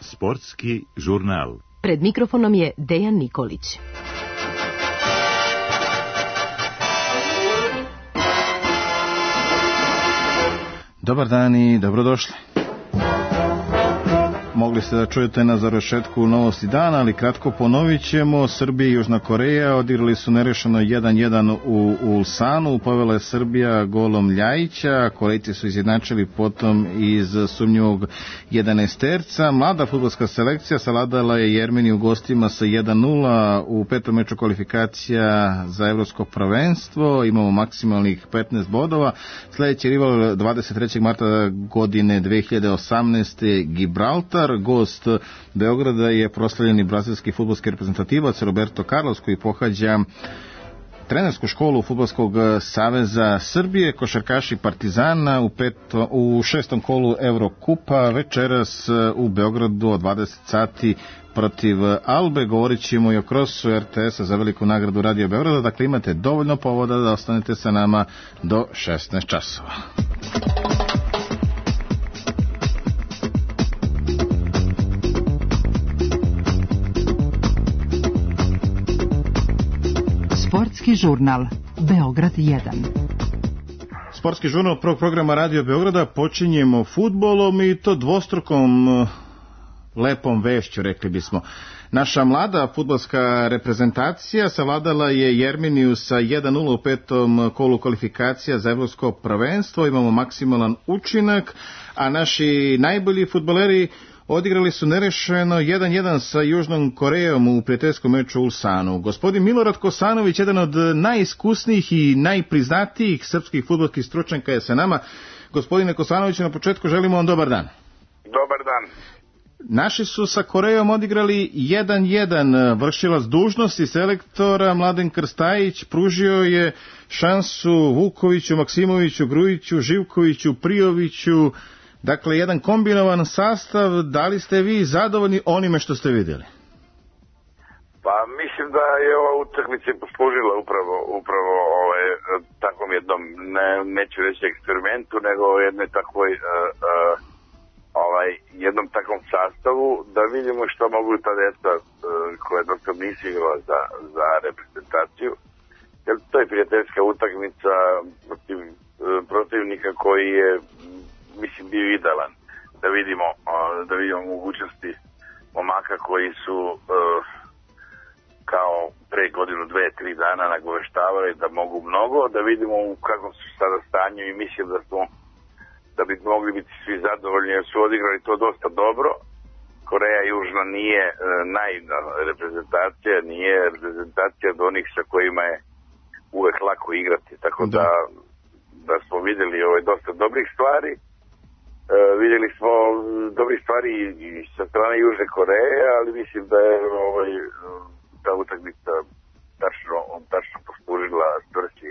Sportski žurnal. Pred mikrofonom je Dejan Nikolić. Dobar dan i dobrodošli. Mogli ste da čujete na završetku novosti dana, ali kratko ponovit ćemo. Srbija i Južna Koreja odigrali su nerešeno 1-1 u Ulsanu. Povela je Srbija golom Ljajića. Korejci su izjednačili potom iz sumnjivog 11-terca. Mlada fudbalska selekcija savladala je Jermeniju u gostima sa 1-0 u petom meču kvalifikacija za evropsko prvenstvo. Imamo maksimalnih 15 bodova. Sljedeći rival 23. marta godine 2018. Gibraltar. Gost Beograda je proslavljeni brazilski fudbalski reprezentativac Roberto Carlos, koji pohađa trenersku školu Fudbalskog saveza Srbije. Košarkaši Partizana u šestom kolu Evrokupa večeras u Beogradu od 20 sati protiv Albe. Govorit ćemo i o krosu RTS-a za veliku nagradu Radio Beograda. Dakle, imate dovoljno povoda da ostanete sa nama do 16 časova. Sportski žurnal Beograd 1. Sportski žurnal prvog programa Radio Beograda počinjemo fudbalom i to dvostrukom lepom vešću, rekli bismo. Naša mlada fudbalska reprezentacija savladala je Jermeniju sa 1-0 u petom kolu kvalifikacija za evropsko prvenstvo. Imamo maksimalan učinak, a naši najbolji fudbaleri odigrali su nerešeno 1-1 sa Južnom Korejom u prijateljskom meču u Ulsanu. Gospodin Milorad Kosanović, jedan od najiskusnijih i najpriznatijih srpskih fudbalskih stručnjaka, je sa nama. Gospodine Kosanoviću, na početku želimo vam dobar dan. Dobar dan. Naši su sa Korejom odigrali 1-1. Vršilac dužnosti selektora Mladen Krstajić pružio je šansu Vukoviću, Maksimoviću, Grujiću, Živkoviću, Prijoviću. Dakle, jedan kombinovan sastav. Da li ste vi zadovoljni onime što ste vidjeli? Pa mislim da je ova utakmica poslužila upravo takvom jednom, neću reći eksperimentu, nego jednoj takvoj jednom takvom sastavu, da vidimo što mogu ta djeca koja dok nisu igrala za reprezentaciju. Jer to je prijateljska utakmica protiv protivnika koji je, mislim, bio idealan da vidimo mogućnosti momaka koji su kao pre godinu, 2-3 dana nagoveštavali da mogu mnogo, da vidimo u kakvom su sada stanju i mislim da bi mogli biti svi zadovoljni jer su odigrali to dosta dobro. Koreja Južna nije naivna reprezentacija, nije reprezentacija od onih sa kojima je uvek lako igrati, tako da smo vidjeli dosta dobrih stvari. Vidjeli smo dobrih stvari i sa strane Južne Koreje, ali mislim da je ta utakmica tačno poslužila svrsi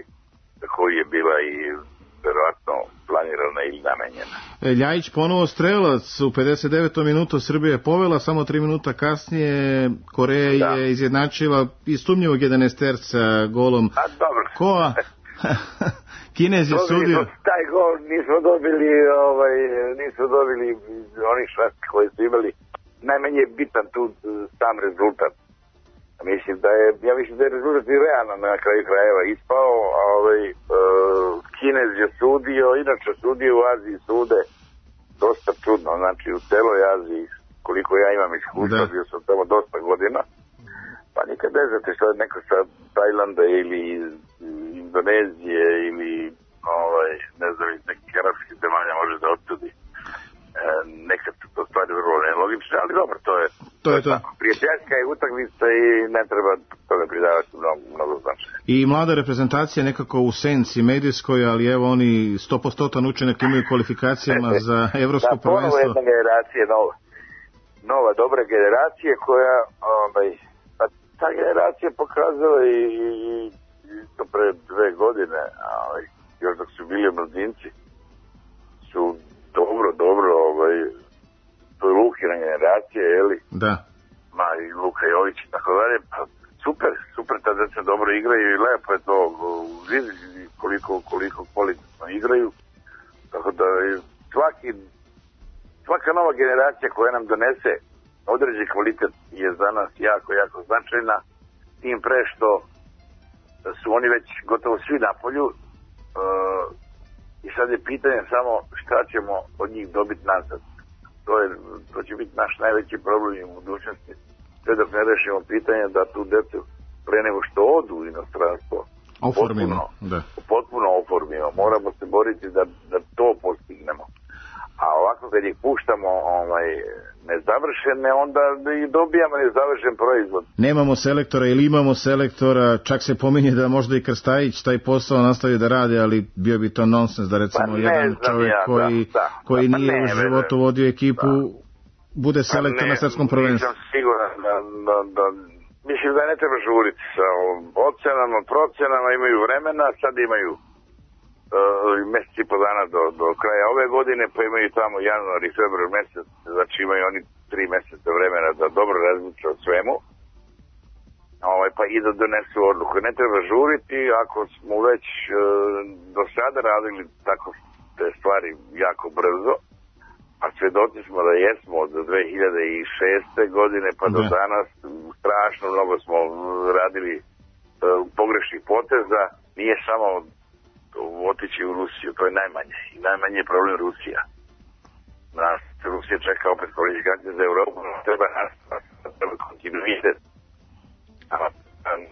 za koju je bila i verovatno planirana ili namenjena. Ljajić ponovo strelac u 59. minutu. Srbija je povela, samo 3 minuta kasnije Koreja je izjednačila iz sumnjivog 11-terca golom Koa. Kinez je sudio. Taj gol nismo dobili onih šansi koji su imali. Najmanje je bitan tu sam rezultat. Ja mislim da je rezultat i realno na kraju krajeva ispao. Kinez je sudio, inače sudio u Aziji sude dosta čudno. Znači u celoj Aziji, koliko ja imam iskustva, bio sam tamo dosta godina. Pa nikad ne znate što je neko sa Tajlanda ili Indonezije ili ne znam, iz nekih arapskih zemalja može da odsudi. Nekad su to stvari vrlo nelogične, ali dobro, to je to. Prijateljska je utakmica i ne treba toga pridavati mnogo značaja. I mlada reprezentacija nekako u senci medijskoj, ali evo oni 100% učinak imaju kvalifikacijama za evropsko prvenstvo. Ponovo jedna generacija nova dobra generacija koja ta generacija pokazala i to pre 2 godine, još dok su bili mladinci, su dobro, to je Lukina generacija, jeli? Da. I Luka Jović i tako dalje, pa super, ta deca dobro igraju i lepo je to, koliko kvalitetno igraju. Tako da svaka nova generacija koja nam donese određeni kvalitet je za nas jako, jako značajna. Tim pre što su oni već gotovo svi na polju i sad je pitanje samo šta ćemo od njih dobiti nazad. To će biti naš najveći problem u budućnosti. Sve dok ne rešimo pitanje da tu decu pre nego što odu u inostranstvo potpuno oformimo. Moramo se boriti da to postignemo. A ovako kad ih puštamo nezavršene, onda i dobijamo nezavršen proizvod. Nemamo selektora ili imamo selektora, čak se pominje da možda i Krstajić taj posao nastavi da radi, ali bio bi to nonsens da recimo jedan čovjek koji nije u životu vodio ekipu bude selektor na svetskom prvenstvu. Nisam siguran da mislim da ne treba žuriti sa ocenama, procenama, imaju vremena, sad imaju mjesec i po dana do kraja ove godine, pa imaju tamo januar i februar mjesec, znači imaju oni 3 mjeseca vremena da dobro razmišlja o svemu, pa i da donesu odluku. Ne treba žuriti, ako smo već do sada radili tako te stvari jako brzo, a svedoci smo da jesmo od 2006. godine pa do danas, strašno mnogo smo radili pogrešnih poteza, nije samo otići u Rusiju, to je najmanje. I najmanje je problem Rusija. Nas Rusija čeka opet kvalifikacije za Europu, treba kontinuitet. A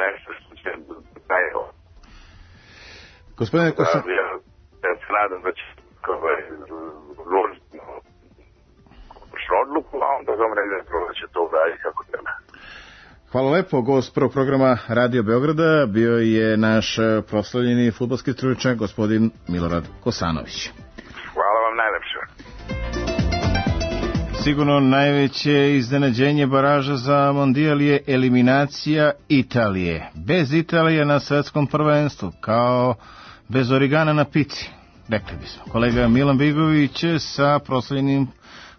nešto što će daje. Gospodine Kosan... Ja se nadam da će odluku, a onda da će to uraditi kako treba. Hvala lepo, gost prvog programa Radio Beograda bio je naš proslavljeni fudbalski stručnjak gospodin Milorad Kosanović. Hvala vam najlepše. Sigurno najveće iznenađenje baraža za mondijal je eliminacija Italije. Bez Italije na svetskom prvenstvu, kao bez origana na pici, rekli bismo. Kolega Milan Bigović sa proslavljenim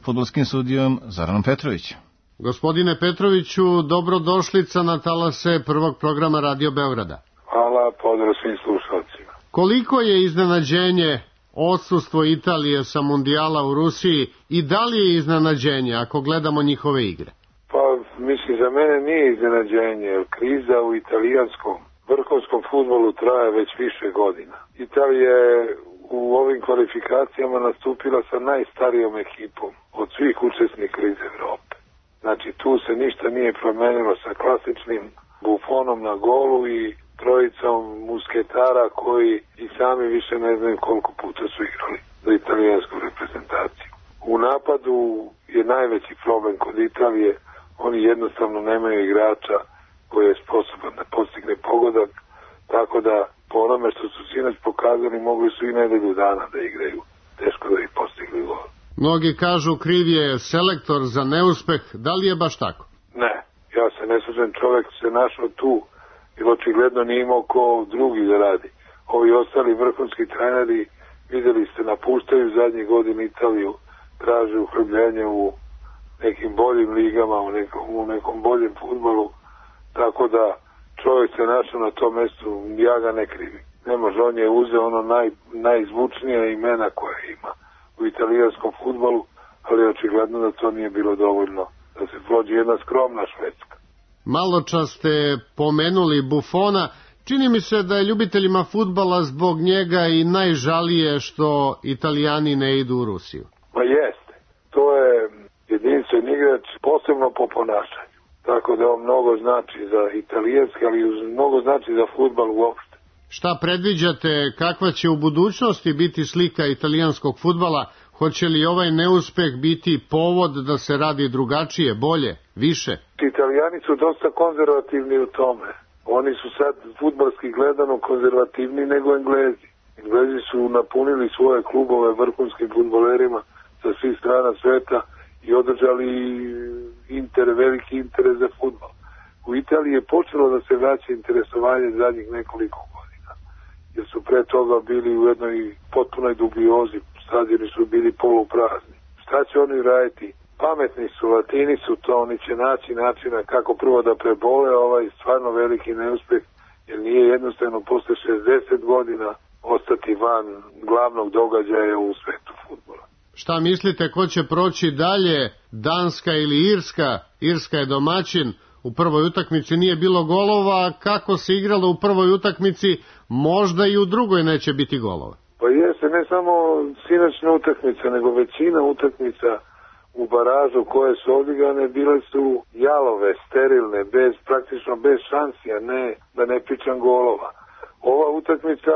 fudbalskim sudijom Zoranom Petrovićem. Gospodine Petroviću, dobrodošlica na talase prvog programa Radio Beograda. Hvala, pozdrav svim slušalcima. Koliko je iznenađenje odsustvo Italije sa mundijala u Rusiji i da li je iznenađenje ako gledamo njihove igre? Pa, mislim, za mene nije iznenađenje, jer kriza u italijanskom vrhunskom fudbalu traje već više godina. Italija je u ovim kvalifikacijama nastupila sa najstarijom ekipom od svih učesnika iz Evrope. Znači, tu se ništa nije promenilo sa klasičnim Buffonom na golu i trojicom musketara koji i sami više ne znaju koliko puta su igrali za italijansku reprezentaciju. U napadu je najveći problem kod Italije, oni jednostavno nemaju igrača koji je sposoban da postigne pogodak, tako da po onome što su sinoć pokazali mogli su i nedelju dana da igraju, teško da ih postigli gol. Mnogi kažu kriv je selektor za neuspeh, da li je baš tako? Ne, ja se ne slažem, čovjek se našao tu jer očigledno nije imao ko drugi da radi. Ovi ostali vrhunski treneri, vidjeli ste, napuštaju zadnjih godina Italiju, traže uhljebljenje u nekim boljim ligama, u nekom boljem fudbalu, tako da čovjek se našao na tom mjestu, ja ga ne krivim. Ne može, on je uzeo ono najzvučnija imena koja ima u italijanskom fudbalu, ali očigledno da to nije bilo dovoljno da se prođe jedna skromna Švedska. Malo čas ste pomenuli Buffona, čini mi se da je ljubiteljima fudbala zbog njega i najžalije što Italijani ne idu u Rusiju. Ma jeste, to je jedinstven igrač, posebno po ponašanju, tako da on mnogo znači za italijanski, ali mnogo znači za fudbal uopšte. Šta predviđate, kakva će u budućnosti biti slika italijanskog fudbala? Hoće li ovaj neuspeh biti povod da se radi drugačije, bolje, više? Italijani su dosta konzervativni u tome. Oni su sad fudbalski gledano konzervativni nego Englezi. Englezi su napunili svoje klubove vrhunskim fudbalerima sa svih strana sveta i održali veliki interes za fudbal. U Italiji je počelo da se vraća interesovanje zadnjih nekoliko godina, jer su pre toga bili u jednoj potpunoj dubiozi, stadioni su bili poluprazni. Šta će oni raditi? Pametni su, Latini su to, oni će naći načina kako prvo da prebole ovaj stvarno veliki neuspeh, jer nije jednostavno posle 60 godina ostati van glavnog događaja u svetu fudbala. Šta mislite, ko će proći dalje, Danska ili Irska? Irska je domaćin, u prvoj utakmici nije bilo golova, kako se igralo u prvoj utakmici, možda i u drugoj neće biti golova. Pa jeste, ne samo sinoćna utakmica, nego većina utakmica u baražu koje su odigrane bile su jalove, sterilne, praktično bez šansi, a ne da ne pričam golova. Ova utakmica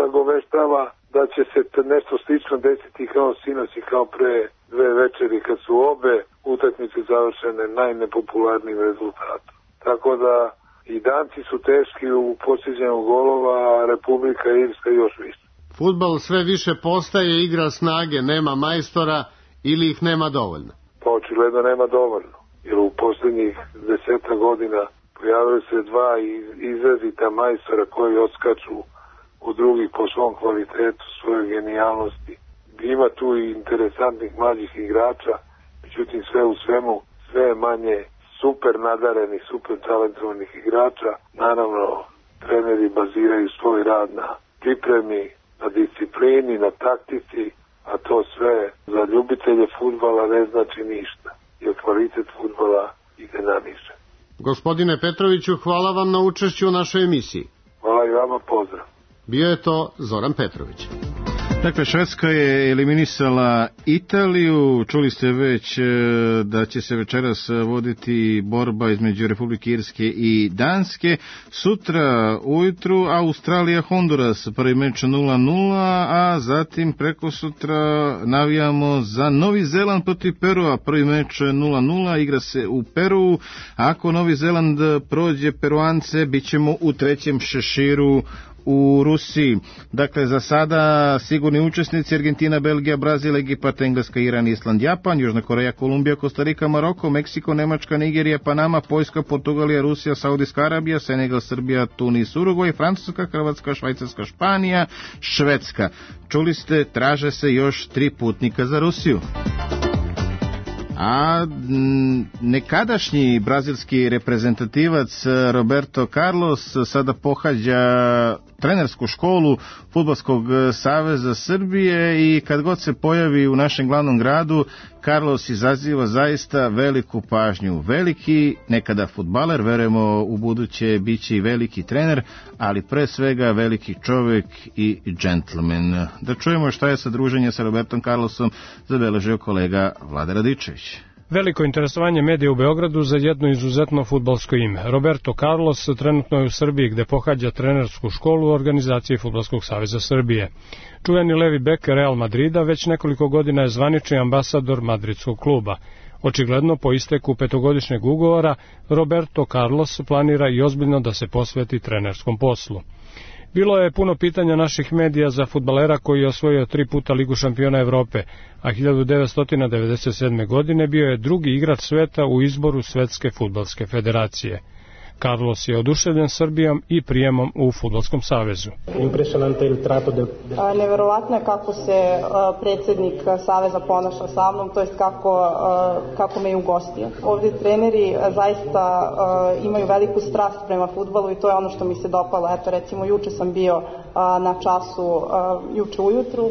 nagoveštava da će se nešto slično desiti kao sinoć i kao pre 2 večeri kad su obe utakmice završene najnepopularnijim rezultatom. Tako da i Danci su teški u postiđenju golova, a Republika Irska još više. Fudbal sve više postaje igra snage, nema majstora ili ih nema dovoljno? Pa očigledno nema dovoljno, jer u posljednjih 10 godina pojavili se 2 izrazita majstora koji odskaču u drugih po svom kvalitetu, svojoj genijalnosti. Ima tu i interesantnih mlađih igrača, međutim sve u svemu, sve je manje super nadarenih, super talentovanih igrača. Naravno, treneri baziraju svoj rad na pripremi, na disciplini, na taktici, a to sve za ljubitelje fudbala ne znači ništa, jer kvalitet fudbala ide na niže. Gospodine Petroviću, hvala vam na učešću u našoj emisiji. Hvala i vama, pozdrav. Bio je to Zoran Petrović. Dakle, Švedska je eliminisala Italiju. Čuli ste već da će se večeras voditi borba između Republike Irske i Danske. Sutra ujutru Australija-Honduras, prvi meč 0-0, a zatim preko sutra navijamo za Novi Zeland protiv Perua, prvi meč 0-0, igra se u Peruu. Ako Novi Zeland prođe Peruance, bit ćemo u trećem šeširu u Rusiji. Dakle, za sada sigurni učesnici: Argentina, Belgija, Brazil, Egipat, Engleska, Iran, Island, Japan, Južna Koreja, Kolumbija, Kostarika, Maroko, Meksiko, Nemačka, Nigerija, Panama, Poljska, Portugalija, Rusija, Saudijska Arabija, Senegal, Srbija, Tunis, Urugvaj, Francuska, Hrvatska, Švajcarska, Španija, Švedska. Čuli ste, traže se još 3 putnika za Rusiju. A nekadašnji brazilski reprezentativac Roberto Carlos sada pohađa trenersku školu Fudbalskog saveza Srbije i kad god se pojavi u našem glavnom gradu, Carlos izaziva zaista veliku pažnju. Veliki nekada fudbaler, verujemo u buduće biće i veliki trener, ali pre svega veliki čovjek i džentlmen. Da čujemo šta je sa druženje sa Robertom Carlosom zabeležio kolega Vlada Radičević. Veliko interesovanje medija u Beogradu za jedno izuzetno fudbalsko ime. Roberto Carlos trenutno je u Srbiji gde pohađa trenersku školu u organizaciji Fudbalskog saveza Srbije. Čuveni levi bek Real Madrida već nekoliko godina je zvanični ambasador madridskog kluba. Očigledno, po isteku 5-godišnjeg ugovora, Roberto Carlos planira i ozbiljno da se posveti trenerskom poslu. Bilo je puno pitanja naših medija za fudbalera koji je osvojio 3 puta Ligu šampiona Evrope, a 1997. godine bio je drugi igrač sveta u izboru Svetske fudbalske federacije. Carlos je oduševljen Srbijom i prijemom u Fudbalskom savezu. Neverovatno je kako se predsjednik saveza ponaša sa mnom, to jest kako me je ugostio. Ovdje treneri zaista imaju veliku strast prema fudbalu i to je ono što mi se dopalo. Eto, recimo, juče sam bio na času, juče ujutru,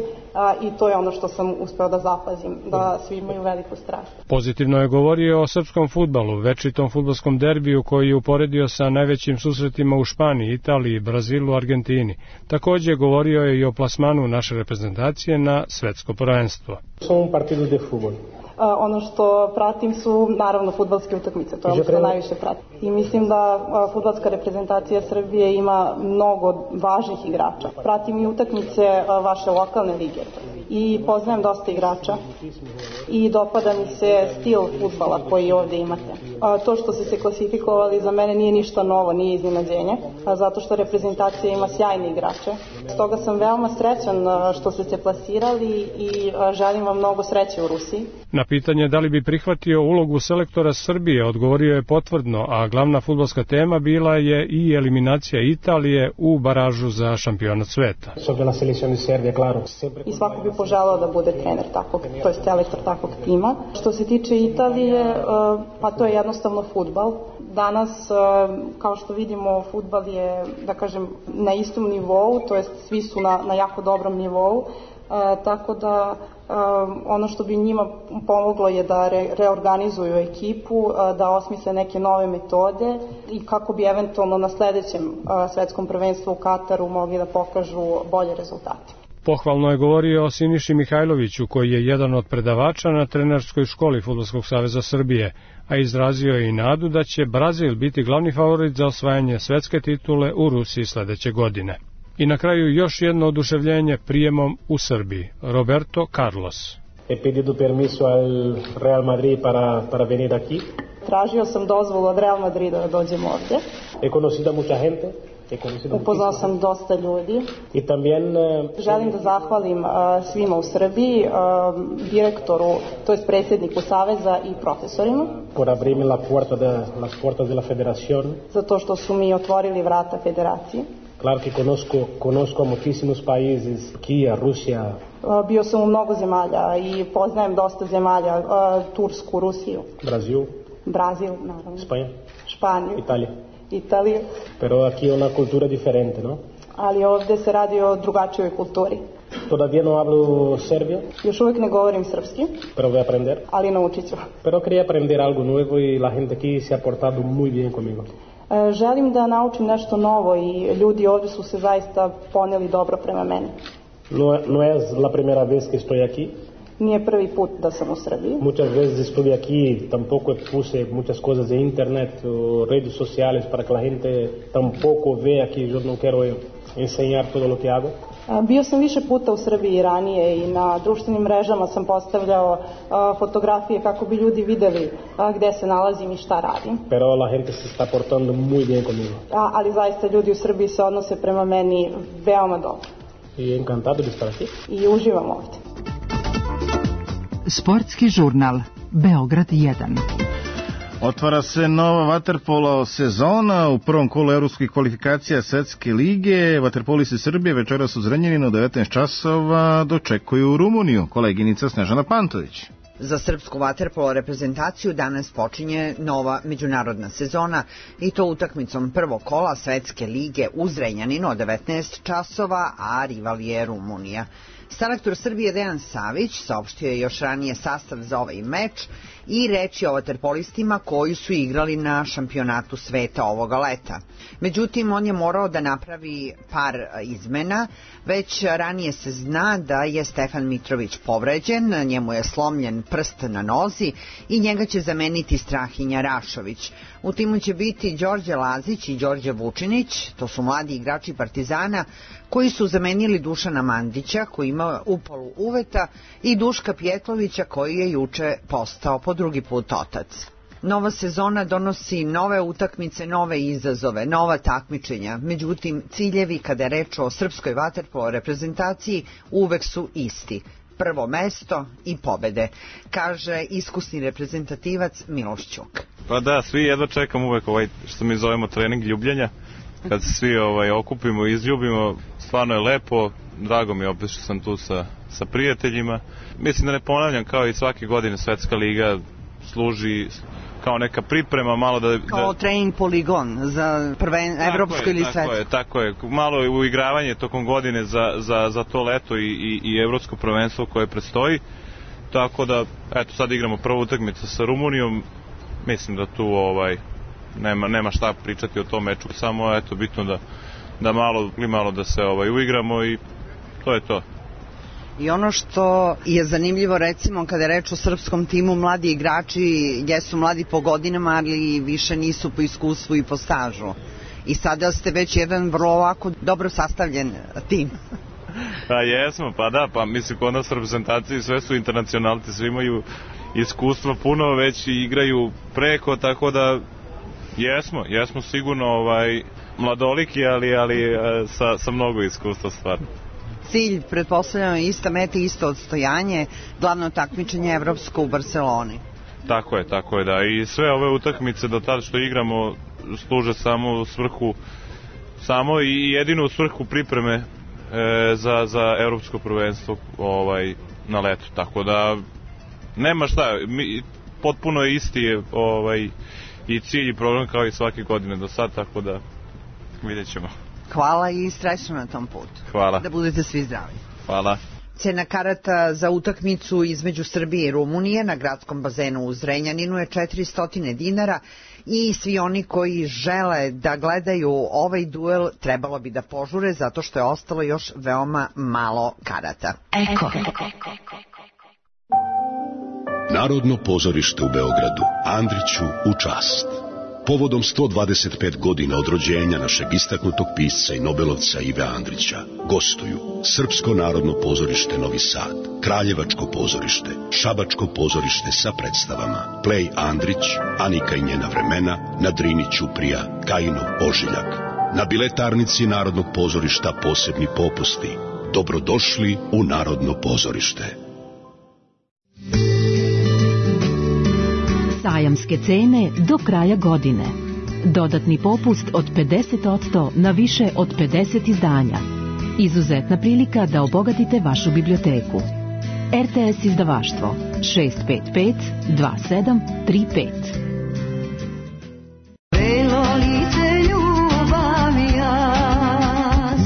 i to je ono što sam uspeo da zapazim, da svi imaju veliku strast. Pozitivno je govorio o srpskom fudbalu, večitom fudbalskom derbiju koji je uporedio sa najvećim susretima u Španiji, Italiji, Brazilu, Argentini. Također govorio je i o plasmanu naše reprezentacije na svetsko prvenstvo. Ono što pratim su naravno fudbalske utakmice, to je ono što najviše pratim. I mislim da fudbalska reprezentacija Srbije ima mnogo važnih igrača. Pratim i utakmice vaše lokalne lige i poznajem dosta igrača i dopada mi se stil fudbala koji ovdje imate. To što ste se klasifikovali za mene nije ništa novo, nije iznenađenje, zato što reprezentacija ima sjajne igrače. Stoga sam veoma srećan što ste se plasirali i želim vam mnogo sreće u Rusiji. Na pitanje da li bi prihvatio ulogu selektora Srbije odgovorio je potvrdno, a glavna fudbalska tema bila je i eliminacija Italije u baražu za šampionat sveta. I svako bi poželao da bude trener takvog, to je selektor takvog tima. Što se tiče Italije, pa to je jednostavno fudbal. Danas, kao što vidimo, fudbal je, da kažem, na istom nivou, to jest svi su na jako dobrom nivou, tako da ono što bi njima pomoglo je da reorganizuju ekipu, da osmisle neke nove metode i kako bi eventualno na sledećem svetskom prvenstvu u Kataru mogli da pokažu bolje rezultate. Pohvalno je govorio o Siniši Mihajloviću, koji je jedan od predavača na trenerskoj školi Fudbalskog saveza Srbije, a izrazio je i nadu da će Brazil biti glavni favorit za osvajanje svetske titule u Rusiji sledeće godine. I na kraju još jedno oduševljenje prijemom u Srbiji. Roberto Carlos. He pedido permiso al Real Madrid para venir aquí. Tražio sam dozvolu od Real Madrida da dođem ovde. He conocido mucha gente. Upoznao sam dosta ljudi. I también želim da zahvalim svima u Srbiji, direktoru, to jest predsjedniku Saveza i profesorima. Por abrirme las puertas de la federación. Zato što su mi otvorili vrata federacije. Claro que conozco a muchísimos países, Kija, Rusija. Bio sam u mnogo zemalja i poznajem dosta zemalja, Tursku, Rusiju. Brazil, naravno. Španiju. Italiju. Pero aquí una cultura diferente, ¿no? Ali ovde se radi o drugačijoj kulturi. Todavía no hablo serbio. Još uvijek ne govorim srpski. Pero voy a aprender. Ali naučit ću. Pero quería aprender algo nuevo y la gente aquí se ha portado muy bien conmigo. Želim da naučim nešto novo i ljudi ovde su se zaista poneli dobro prema meni. No es la primera vez que estoy aquí. Nije prvi put da sam u Srbiji. Muchas veces estuve aquí, tampoco puse muchas cosas de internet o redes sociales para que la gente tampoco vea que yo no quiero enseñar todo lo que hago. Bio sam više puta u Srbiji ranije i na društvenim mrežama sam postavljao fotografije kako bi ljudi videli gde se nalazim i šta radim. Pero la gente se está portando muy bien conmigo. Ali zaista ljudi u Srbiji se odnose prema meni veoma dobro. I encantado de estar aquí. I uživam ovde. Sportski žurnal Beograd 1. Otvara se nova vaterpolo sezona u prvom kolu evropskih kvalifikacija Svetske lige. Vaterpolisti Srbije večeras u Zrenjaninu 19 časova dočekuju Rumuniju. Koleginica Snežana Pantović. Za srpsku vaterpolo reprezentaciju danas počinje nova međunarodna sezona i to utakmicom prvog kola Svetske lige u Zrenjaninu od 19 časova, a rival je Rumunija. Selektor Srbije Dejan Savić saopštio je još ranije sastav za ovaj meč i reči o vaterpolistima koji su igrali na šampionatu sveta ovoga leta. Međutim, on je morao da napravi par izmena. Već ranije se zna da je Stefan Mitrović povređen, njemu je slomljen prst na nozi i njega će zameniti Strahinja Rašović. U timu će biti Đorđe Lazić i Đorđe Vučinić, to su mladi igrači Partizana koji su zamenili Dušana Mandića koji ima upalu uveta i Duška Pjetlovića koji je juče postao po drugi put otac. Nova sezona donosi nove utakmice, nove izazove, nova takmičenja. Međutim, ciljevi kada je reč o srpskoj vaterpolo reprezentaciji uvek su isti. Prvo mesto i pobede, kaže iskusni reprezentativac Miloš Ćuk. Pa da, svi jedva čekam uvek što mi zovemo trening ljubljenja. Kad se svi okupimo i izljubimo, stvarno je lepo. Drago mi je opet što sam tu sa prijateljima. Mislim da ne ponavljam, kao i svake godine Svetska liga služi kao neka priprema, malo kao trening poligon za evropsko ili svetsko. Tako je, malo uigravanje tokom godine za to leto i evropsko prvenstvo koje predstoji. Tako da, eto, sad igramo prvu utakmicu sa Rumunijom. Mislim da tu nema šta pričati o tom meču, samo eto bitno da malo da se uigramo i to je to. I ono što je zanimljivo, recimo kada je reč o srpskom timu, mladi igrači jesu mladi po godinama, ali više nisu po iskustvu i po stažu. I sada ste već jedan vrlo ovako dobro sastavljen tim. Pa jesmo, pa da, pa mislim kod nas reprezentaciji sve su internacionalci, svi imaju iskustva puno, već igraju preko, tako da jesmo sigurno mladoliki, ali sa mnogo iskustva stvarno. Cilj, pretpostavljamo, ista meta, isto odstojanje, glavno takmičenje evropsko u Barceloni. Tako je, da. I sve ove utakmice do tada što igramo služe samo u svrhu, samo i jedinu u svrhu pripreme za evropsko prvenstvo na letu. Tako da nema šta, potpuno isti i cilj i program kao i svake godine do sad, tako da vidjet ćemo. Hvala i srećno na tom putu. Hvala. Da budete svi zdravi. Hvala. Cena karata za utakmicu između Srbije i Rumunije na gradskom bazenu u Zrenjaninu je 400 dinara i svi oni koji žele da gledaju ovaj duel trebalo bi da požure zato što je ostalo još veoma malo karata. Eko. Narodno pozorište u Beogradu. Andriću u čast. Povodom 125 godina od rođenja našeg istaknutog pisca i nobelovca Ive Andrića gostuju Srpsko narodno pozorište Novi Sad, Kraljevačko pozorište, Šabačko pozorište sa predstavama Plej Andrić, Anika i njena vremena, na Drini Ćuprija, Kajinov ožiljak. Na biletarnici Narodnog pozorišta posebni popusti. Dobrodošli u Narodno pozorište. Sajamske cene do kraja godine. Dodatni popust od 50% na više od 50 izdanja. Izuzetna prilika da obogatite vašu biblioteku. RTS izdavaštvo 655 2735.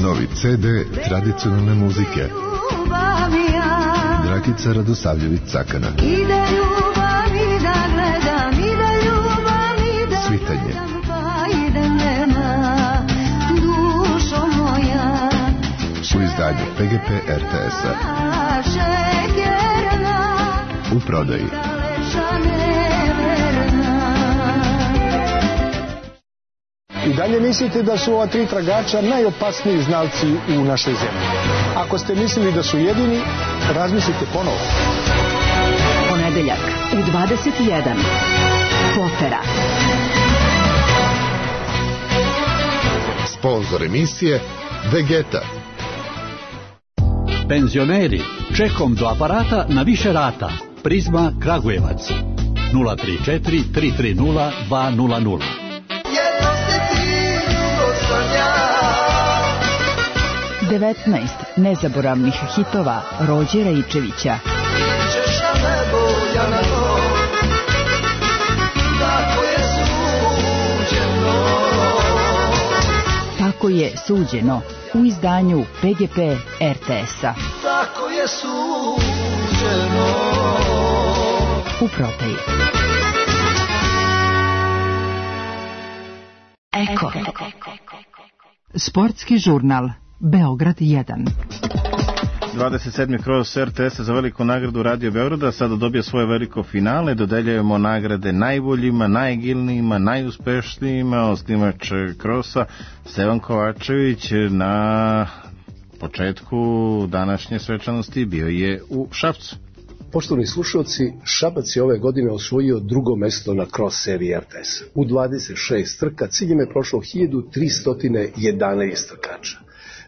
Novi CD tradicionalne muzike. Dragica Radosavljević-Cakana. Svitanje. U izdanju PGP RTS-a. U prodaji. I dalje mislite da su ova 3 tragača najopasniji znalci u našoj zemlji. Ako ste mislili da su jedini, razmislite ponovo. Ponedeljak u 21. Potera. Sponzor emisije Vegeta. Penzioneri, čekom do aparata na više rata. Prizma Kragujevac 034 330 200. 19 nezaboravnih hitova Rođe Rajičevića. Tako je suđeno u izdanju PGP RTS-a. Tako je suđeno. U prodaji. Eko. Sportski žurnal Beograd 1. 27. kroz RTS za veliku nagradu Radio Beograda sada dobija svoje veliko finale. Dodeljujemo nagrade najboljima, najgilnijima, najuspešnijima. Osnivač krosa Stevan Kovačević na početku današnje svečanosti bio je u Šapcu. Poštovani slušalci, Šabac je ove godine osvojio drugo mesto na cross seriji RTS. U 26 trka ciljem je prošlo 1311 trkača.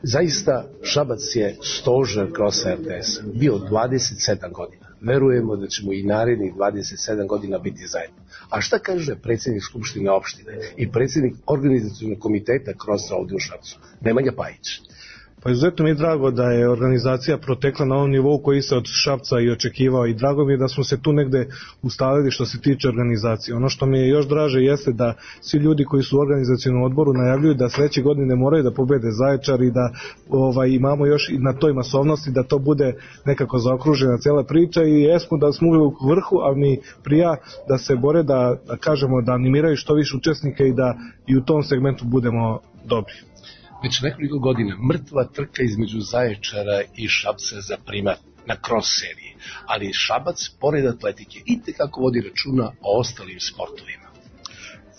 Zaista, Šabac je stožer crossa RTS-a, bio 27 godina. Verujemo da ćemo i narednih 27 godina biti zajedno. A šta kaže predsjednik Skupštine opštine i predsjednik organizacionog komiteta crossa ovdje u Šapcu, Nemanja Pajić? Pa izuzetno mi je drago da je organizacija protekla na ovom nivou koji se od Šapca i očekivao i drago mi je da smo se tu negde ustalili što se tiče organizacije. Ono što mi je još draže jeste da svi ljudi koji su u organizacionom odboru najavljuju da sledeće godine moraju da pobede Zaječar i da imamo još i na toj masovnosti da to bude nekako zaokružena cela priča i jesmo da smo uvijek u vrhu, a mi prija da se bore da kažemo da animiraju što više učesnika i da i u tom segmentu budemo dobri. Već nekoliko godina mrtva trka između Zaječara i Šapca za primat na cross seriji, ali Šabac, pored atletike, itekako vodi računa o ostalim sportovima.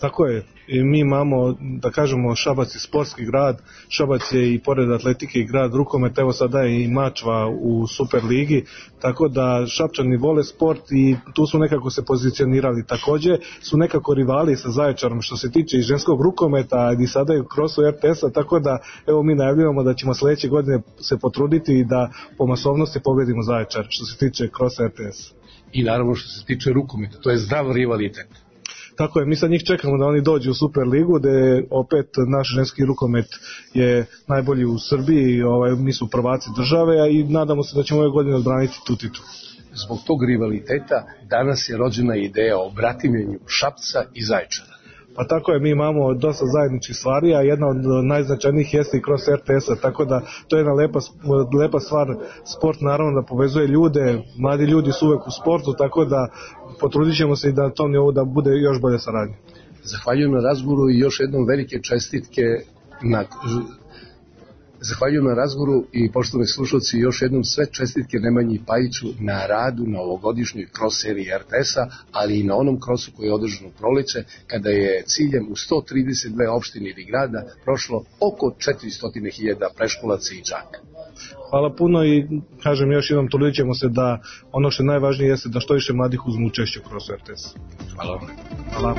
Tako je, mi imamo, da kažemo, Šabac je sportski grad, Šabac je i pored atletike i grad rukometa, evo sada je i Mačva u Superligi, tako da Šapčani vole sport i tu su nekako se pozicionirali. Takođe su nekako rivali sa Zaječarom što se tiče i ženskog rukometa i sada je u krosu RTS-a, tako da evo mi najavljujemo da ćemo sledeće godine se potruditi i da po masovnosti pobedimo Zaječar što se tiče krosa RTS. I naravno što se tiče rukometa, to je zdrav rivalitet. Tako je, mi sad njih čekamo da oni dođu u Superligu, gde opet naš ženski rukomet je najbolji u Srbiji, mi su prvaci države, a i nadamo se da ćemo ove godine odbraniti tu titulu. Zbog tog rivaliteta danas je rođena ideja o bratimljenju Šapca i Zaječara. Pa tako je, mi imamo dosta zajedničkih stvari, a jedna od najznačajnijih jeste i kroz RTS-a, tako da to je jedna lepa stvar. Sport naravno da povezuje ljude, mladi ljudi su uvek u sportu, tako da potrudit ćemo se i da na tom nivou da bude još bolje saradnje. Zahvaljujem na razgovoru i još jednom velike čestitke Zahvaljujem na razgovoru i poštovani slušalci, još jednom sve čestitke Nemanji Pajiću na radu na ovogodišnjoj cross seriji RTS-a, ali i na onom crossu koji je održan u proleće, kada je ciljem u 132 opštine ili grada prošlo oko 400.000 preškolaca i đaka. Hvala puno i kažem još jednom, trudit ćemo se da ono što je najvažnije jeste da što više mladih uzmu učešće u crossu RTS. Hvala. Hvala.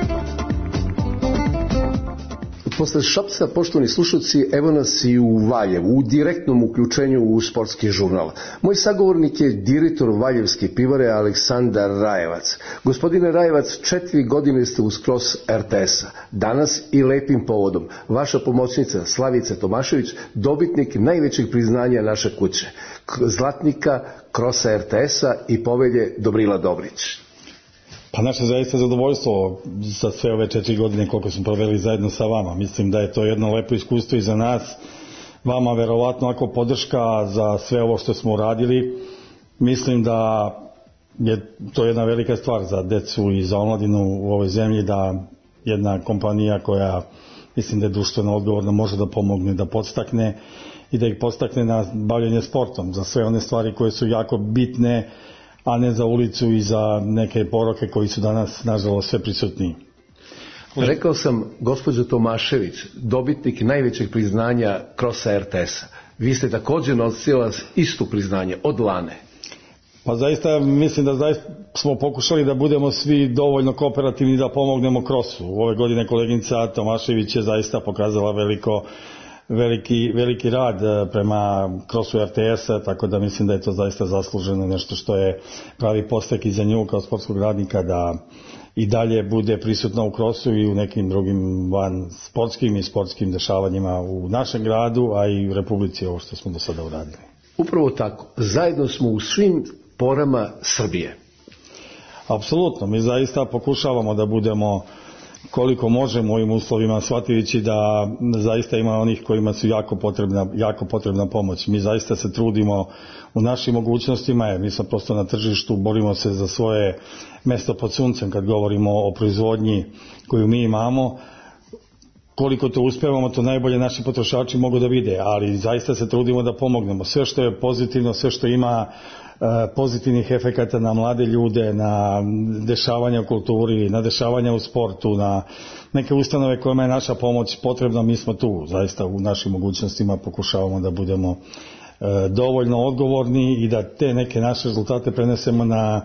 Posle Šapca, poštovani slušalci, evo nas i u Valjevu, u direktnom uključenju u sportski žurnal. Moj sagovornik je direktor Valjevske pivare Aleksandar Rajevac. Gospodine Rajevac, 4 godine ste uz cross RTS-a. Danas i lepim povodom. Vaša pomoćnica Slavica Tomašević, dobitnik najvećeg priznanja naše kuće, zlatnika crossa RTS-a i povelje Dobrila Dobrić. Pa naše zaista zadovoljstvo za sve ove 4 godine koliko smo proveli zajedno sa vama. Mislim da je to jedno lepo iskustvo i za nas. Vama verovatno ako podrška za sve ovo što smo uradili. Mislim da je to jedna velika stvar za decu i za omladinu u ovoj zemlji, da jedna kompanija koja mislim da je društveno odgovorna može da pomogne, da podstakne i da ih podstakne na bavljanje sportom za sve one stvari koje su jako bitne, a ne za ulicu i za neke poroke koji su danas, nažalost, sve prisutniji. Rekao sam, gospođo Tomašević, dobitnik najvećeg priznanja crossa RTS-a. Vi ste također nosila isto priznanje od Lane. Pa zaista, mislim da zaista smo pokušali da budemo svi dovoljno kooperativni da pomognemo crossu. Ove godine koleginica Tomašević je zaista pokazala veliki rad prema crossu RTS-a, tako da mislim da je to zaista zasluženo, nešto što je pravi postek i za nju kao sportskog radnika, da i dalje bude prisutna u crossu i u nekim drugim van sportskim i sportskim dešavanjima u našem gradu, a i u Republici, ovo što smo do sada uradili. Upravo tako, zajedno smo u svim porama Srbije. Apsolutno, mi zaista pokušavamo da budemo koliko možemo u ovim uslovima, shvativići da zaista ima onih kojima su jako potrebna pomoć. Mi zaista se trudimo u našim mogućnostima, jer mi smo prosto na tržištu, borimo se za svoje mesto pod suncem kad govorimo o proizvodnji koju mi imamo. Koliko to uspevamo, to najbolje naši potrošači mogu da vide, ali zaista se trudimo da pomognemo. Sve što je pozitivno, sve što ima pozitivnih efekata na mlade ljude, na dešavanja u kulturi, na dešavanja u sportu, na neke ustanove kojima je naša pomoć potrebna, mi smo tu. Zaista u našim mogućnostima pokušavamo da budemo dovoljno odgovorni i da te neke naše rezultate prenesemo na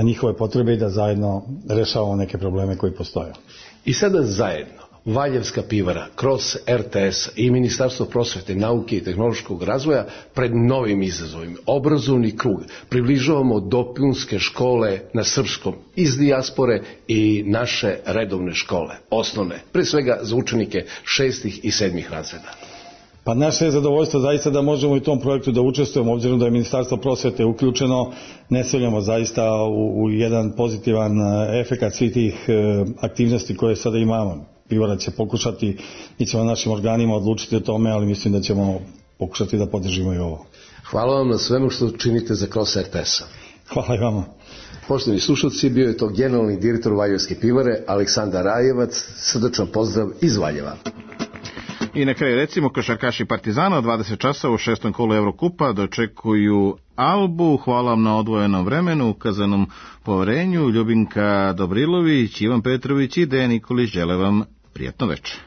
njihove potrebe i da zajedno rešavamo neke probleme koji postoje. I sada zajedno Valjevska pivara, cross RTS i Ministarstvo prosvete, nauke i tehnološkog razvoja pred novim izazovima. Obrazovni krug približavamo dopunske škole na srpskom iz dijaspore i naše redovne škole, osnovne, pre svega za učenike 6. i 7. razreda. Pa naše je zadovoljstvo zaista da možemo u tom projektu da učestvujemo, obzirom da je Ministarstvo prosvete uključeno, ne sumnjamo zaista u jedan pozitivan efekat svih tih aktivnosti koje sada imamo. Pivara će pokušati, mi ćemo našim organima odlučiti o tome, ali mislim da ćemo pokušati da podržimo i ovo. Hvala vam na svemu što činite za cross RTS-a. Hvala i vama. Poštovani slušalci, bio je to generalni direktor Valjevske pivare Aleksandar Rajevac. Srdačan pozdrav iz Valjeva. I na kraju recimo, košarkaši Partizana od 20 časova u 6. kolu Evrokupa dočekuju Albu. Hvala vam na odvojenom vremenu, ukazanom poverenju. Ljubinka Dobrilović, Ivan Petrović i Dejan Nikolić žele vam prijatno večer.